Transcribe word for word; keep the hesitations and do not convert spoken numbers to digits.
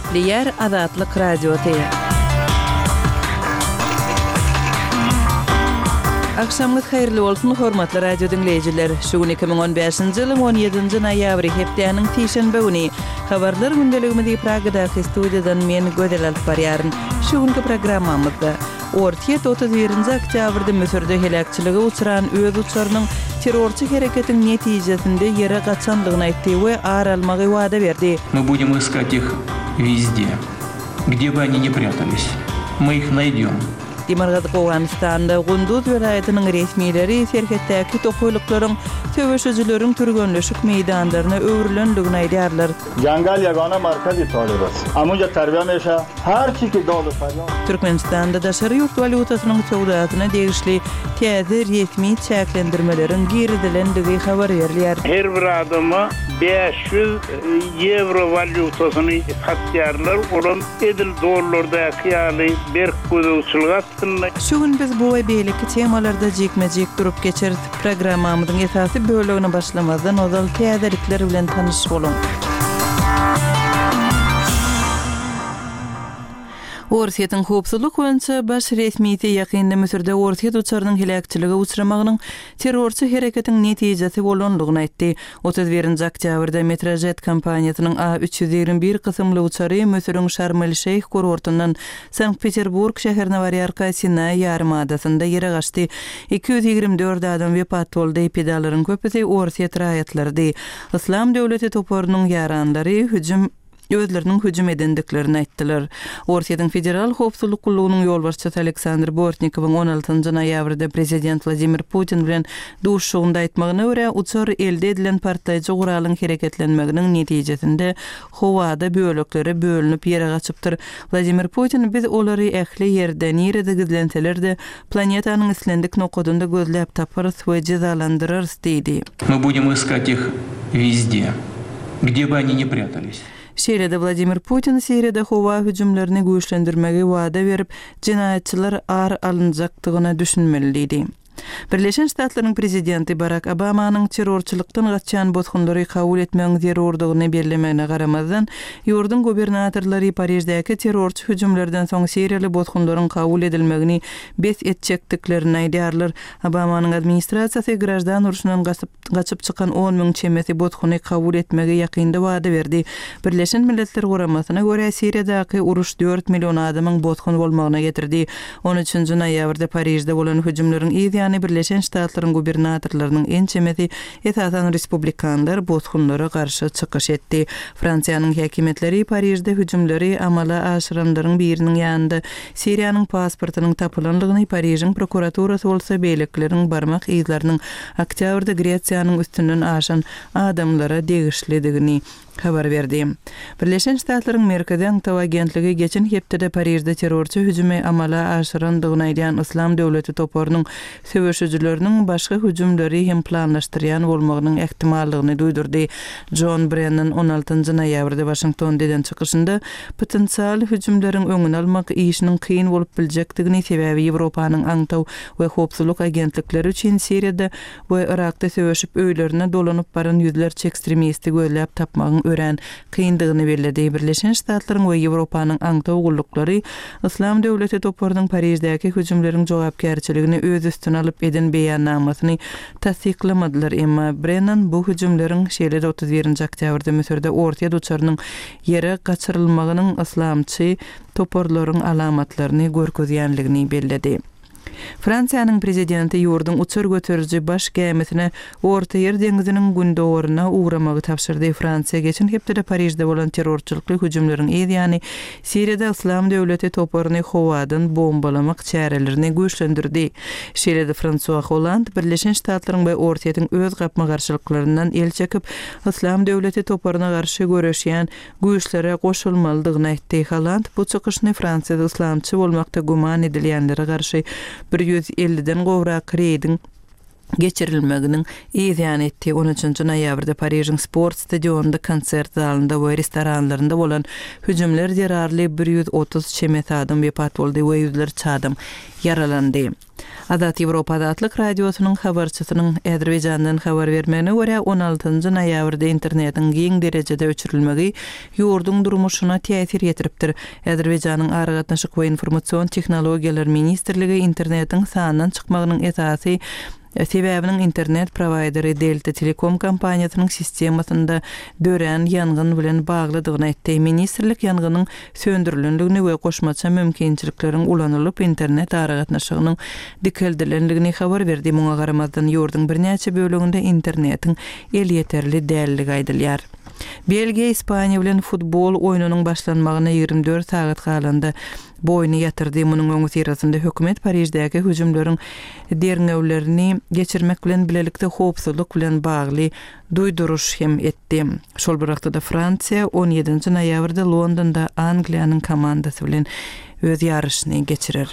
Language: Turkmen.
Gepleýär Azatlyk Radiosy. Agşamyňyz haýyrly bolsun, hormatly radio diňleýjiler. Şu gün iki müň on bäşinji ýylyň on ýedinji noýabry, hepdäniň sişenbe güni. Habarlar gündeligimizi Pragadaky studiýadan men Gözel alyp barýaryn. Şu günki programmamyzda Orsýet otuz birinji oktýabrda Müsürde heläkçilige uçran öz uçarynyň terrorçy hereketiň netijesinde ýere gaçandygyny aýtdy we ar almagy wada berdi. Мы будем искать их везде, где бы они ни прятались. Мы их найдем. Demirgazyk Owganystanda Gunduz welaýatynyň resmileri serhetdäki tokaýlyklaryň söweşijileriň türgenleşik meýdanlaryna öwrülendigini aýdýarlar. Jangal ýagana markazy Talibas. Amunja tarbiýa meşa, her çiki doly farýa. Türkmenistanda daşary ýurt walýutasynyň söwdasyna degişli täze resmi çäklendirmeleriň girizilendigi habar berilýär. Her bir adama bäş ýüz ýewro walýutasyny satýarlar, olam edil dollardaky ýaly berk gözegçilik astynda. Şu gün biz bu we beýleki temalarda jikme-jik durup geçeris. Programmamyzyň esasy bölegine başlamazdan ozal täzelikler bilen tanyş boluň. Orsýetiň howpsuzlyk boýunça baş resmisi ýakynda Müsürde Orsýet uçarynyň heläkçilige uçramagynyň terrorçy hereketiň netijesi bolandygyny aýtdy. Otuz birinji oktýabrda Metrojet kompaniýasynyň A üç ýüz ýigrimi bir kysymly uçary Müsüriň Şarm-el-Şeýh kurortyndan Sankt-Peterburg şäherine barýarka Sinaý ýarymadasynda ýere gaçdy. Iki ýüz ýigrimi dört adam wepat boldy. Pidalaryň köpüsi Orsýet raýatlarydy. Yslam döwleti toparynyň ýaranlary hüjüm özleriniň hüjüm edendiklerini aýtdylar. Orsýetiň Federal Howpsuzlyk Gullugynyň ýolbaşçysy Aleksandr Bortnikowyň on altynjy noýabrda prezident Wladimir Putin bilen duşuşygynda aýtmagyna görä, uçar elde edilen partlaýjy guralyň hereketlenmeginiň netijesinde howada böleklere bölünip ýere gaçypdyr. Wladimir Putin biz olary ähli ýerde, nirede gizlenseler-de, planetanyň islendik nokadynda gözläp taparys we jezalandyrarys diýdi. Мы будем искать их везде, где бы они ни прятались. Şeýle-de Wladimir Putin Siriýada howa hüjümlerini güýçlendirmegi wada berip, jenaýatçylar ar alynjakdygyna düşünmeli diýdi. Birleşen Ştatlaryň prezidenti Barack Obamanyň terrorçylykdan gaçan bosgunlary kabul etmegiň zerurdygyny bellemegine garamazdan, ýurduň gubernatorlary Pariždäki terrorçy hüjümlerden soň Siriýaly bosgunlaryň kabul edilmegini bes etjekdiklerini aýdýarlar. Obamanyň administrasiýasy grajdan urşundan gaçyp, gaçyp çykan on müň çemesi bosguny kabul etmegi ýakynda wada berdi. Birleşen Milletler Guramasyna görä Siriýadaky uruş dört million adamyň bosgun bolmagyna getirdi. On üçünji noýabrda Parižde bolan hüjümleriň yz ýany Birleşen Ştatlaryň gubernatorlarynyň ençemesi esasan respublikanlar bosgunlara garşy çykyş etdi. Fransiýanyň häkimiýetleri Parižde hüjümleri amala aşyranlaryň biriniň ýanynda Siriýanyň pasportynyň tapylanlygyny, Parižiň prokuraturasy bolsa beýlekileriň barmak yzlarynyň oktýabrda Gresiýanyň üstünden aşan adamlara degişlidigini habar berdi. Birleşen Ştatlaryň Merkezi Aňtaw agentligi geçen hepdede Parižde terrorçy hüjümi amala aşyrandygyny aýdýan Yslam döwleti toparynyň söweşijileriniň başga hüjümleri hem planlaşdyrýan bolmagynyň ähtimallygyny duýdurdy. John Brennan on altynjy noýabrda Waşingtonda eden çykyşynda potensial hüjümleriň öňüni almak işiniň kyn bolup biljekdigini, sebäbi Ýewropanyň aňtaw we howpsuzlyk agentlikleri üçin Siriýada we Irakda söweşip öýlerine dolanyp baran ýüzlerçe ekstremisti gözläp tapmagyň örän kyndygyny belledi. Birleşen Ştatlaryň we Ýewropanyň aňtaw gulluklary Yslam döwleti toparynyň Pariždäki hüjümleriň jogapkärçiligini öz üstüne alyp eden beýannamasyny tassyklamadylar. Emma Brennan bu hüjümleriň şeýle-de otuz birinji oktýabrda Müsürde Orsýet uçarynyň ýere gaçyrylmagynyň yslamçy toparlaryň alamatlaryny görkezýänligini belledi. Fransiýanyň prezidenti ýurduň uçar göteriji baş gämisine Orta Ýer deňziniň gündogaryna ugramagy tabşyrdy. Fransiýa geçen hepdede Parižde bolan terrorçylykly hüjümleriň yz ýany Siriýada Yslam döwleti toparyny howadan bombalamak çärelerini güýçlendirdi. Şeýle-de Fransua Hollande Birleşen Ştatlaryň we Orsýetiň öz gapma-garşylyklaryndan el çekip, Yslam döwleti toparyna garşy göreşýän güýçlere goşulmalydygyny aýtdy. Hollande bu çykyşyny Fransiýada yslamçy bolmakda güman edilýänlere garşy bir ýüz elliden gowrak reýdiň geçirilmeginiň yz ýany etdi. On üçünji noýabrda Parižiň sport stadionynda, konsert zalynda we restoranlarynda bolan hüjümler zerarly bir ýüz otuz çemesi adam wepat boldy we ýüzlerçe adam ýaralandy. Azat Ýewropa Azatlyk Radiosynyň habarçysynyň Azerbaýjandan habar bermegine görä, on altynjy noýabrda internetiň giň derejede öçürilmegi ýurduň durmuşyna täsir ýetiripdir. Azerbaýjanyň Aragatnaşyk we informasion tehnologiýalar ministrligi internetiň sandan çykmagynyň esasy sebäbiniň internet prowaýderi Delta Telekom kompaniýasynyň sistemasynda dörän ýangyn bilen baglydygyny aýtdy. Ministrlik ýangynyň söndürilendigini we goşmaça mümkinçilikleriň ulanylyp internet aragatnaşygynyň dikeldilendigini habar berdi. Muňa garamazdan ýurduň birnäçe böleginde internetiň elýeterli dälligi aýdylýar. Belgiýa Ispaniýa bilen futbol oýnunyň başlanmagyna ýigrimi dört sagat galanda bu oýny ýatyrdy. Munuň öňüsyrasynda hökümet Pariždäki hüjümleriň derňewlerini geçirmek bilen bilelikde howpsuzlyk bilen bagly duýduryş hem etdi. Şol bir wagtda Fransiýa on ýedinji noýabrda Londonda Angliýanyň komandasy bilen öz ýaryşyny geçirer.